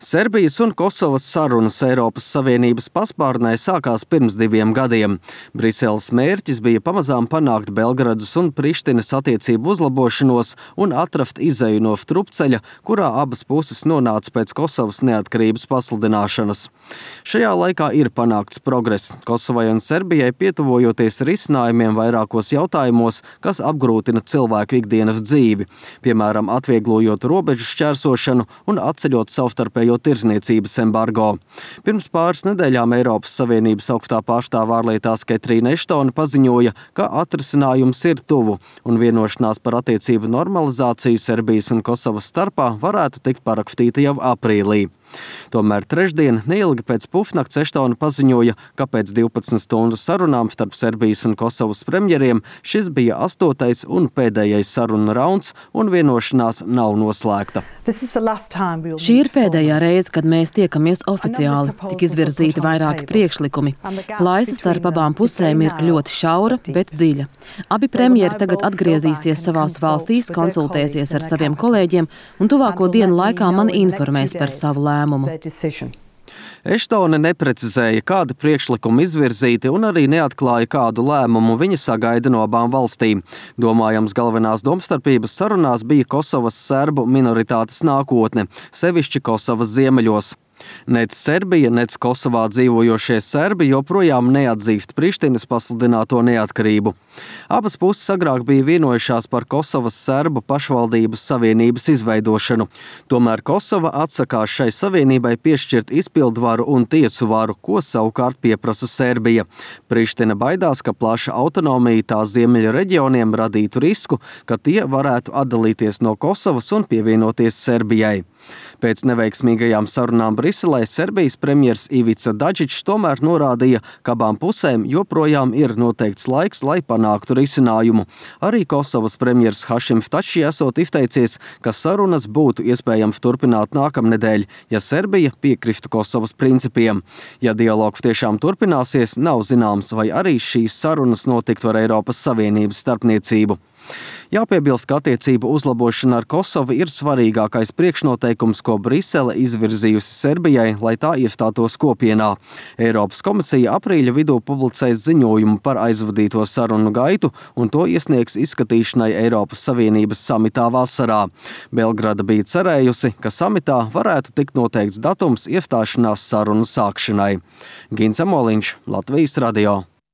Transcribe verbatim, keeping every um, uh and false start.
Serbijas un Kosovas sarunas Eiropas Savienības paspārnē sākās pirms diviem gadiem. Briseles mērķis bija pamazām panākt Belgradas un Prištinas attiecību uzlabošanos un atrast izeju no strupceļa, kurā abas puses nonāca pēc Kosovas neatkarības pasludināšanas. Šajā laikā ir panākts progress. Kosovai un Serbijai pietuvojoties risinājumiem vairākos jautājumos, kas apgrūtina cilvēku ikdienas dzīvi, piemēram, atvieglojot robežu šķērsošanu un atceļot savstarpējo tirzniecības embargo. Pirms pāris nedēļām Eiropas Savienības augstā pārstāve ārlietās Ketrīna Eštone paziņoja, ka atrisinājums ir tuvu un vienošanās par attiecību normalizāciju Serbijas un Kosovas starpā varētu tikt parakstīta jau aprīlī. Tomēr trešdien, neilgi pēc pusnakts, Eštone paziņoja, ka pēc divpadsmit stundu sarunām starp Serbijas un Kosovas premjeriem šis bija astotais un pēdējais sarunu rauns un vienošanās nav noslēgta. Šī ir pēdējā reize, kad mēs tiekamies oficiāli. Tik izvirzīti vairāki priekšlikumi. Plaisa starp abām pusēm ir ļoti šaura, bet dziļa. Abi premjeri tagad atgriezīsies savās valstīs, konsultēsies ar saviem kolēģiem un tuvāko dienu laikā man informēs par savu lēmumu. Eštone neprecizēja, kādi priekšlikumi izvirzīti un arī neatklāja, kādu lēmumu viņa sagaida no abām valstīm. Domājams, galvenās domstarpības sarunās bija Kosovas serbu minoritātes nākotne, sevišķi Kosovas ziemeļos. Nec Serbija, nec Kosovā dzīvojošie serbi joprojām neatzīst Prištinas pasludināto neatkarību. Abas puses agrāk bija vienojušās par Kosovas serbu pašvaldības savienības izveidošanu. Tomēr Kosova atsakās šai savienībai piešķirt izpildvaru un tiesu varu, ko savukārt pieprasa Serbija. Priština baidās, ka plaša autonomija tās ziemeļu reģioniem radītu risku, ka tie varētu atdalīties no Kosovas un pievienoties Serbijai. Pēc neveiksmīgajām sarunām Briselē Serbijas premjers Ivica Dačić tomēr norādīja, ka abām pusēm joprojām ir noteikts laiks, lai panāktu risinājumu. Arī Kosovas premjers Hašim Tači esot izteicies, ka sarunas būtu iespējams turpināt nākamnedēļ, ja Serbija piekristu Kosovas principiem. Ja dialogs tiešām turpināsies, nav zināms, vai arī šīs sarunas notiktu ar Eiropas Savienības starpniecību. Jāpiebilst, ka attiecību uzlabošana ar Kosovu ir svarīgākais priekšnoteikums, ko Brisele izvirzījusi Serbijai, lai tā iestātos kopienā. Eiropas komisija aprīļa vidū publicēs ziņojumu par aizvadīto sarunu gaitu un to iesniegs izskatīšanai Eiropas Savienības samitā vasarā. Belgrada bija cerējusi, ka samitā varētu tikt noteikts datums iestāšanās sarunu sākšanai. Gins Amoliņš, Latvijas radio.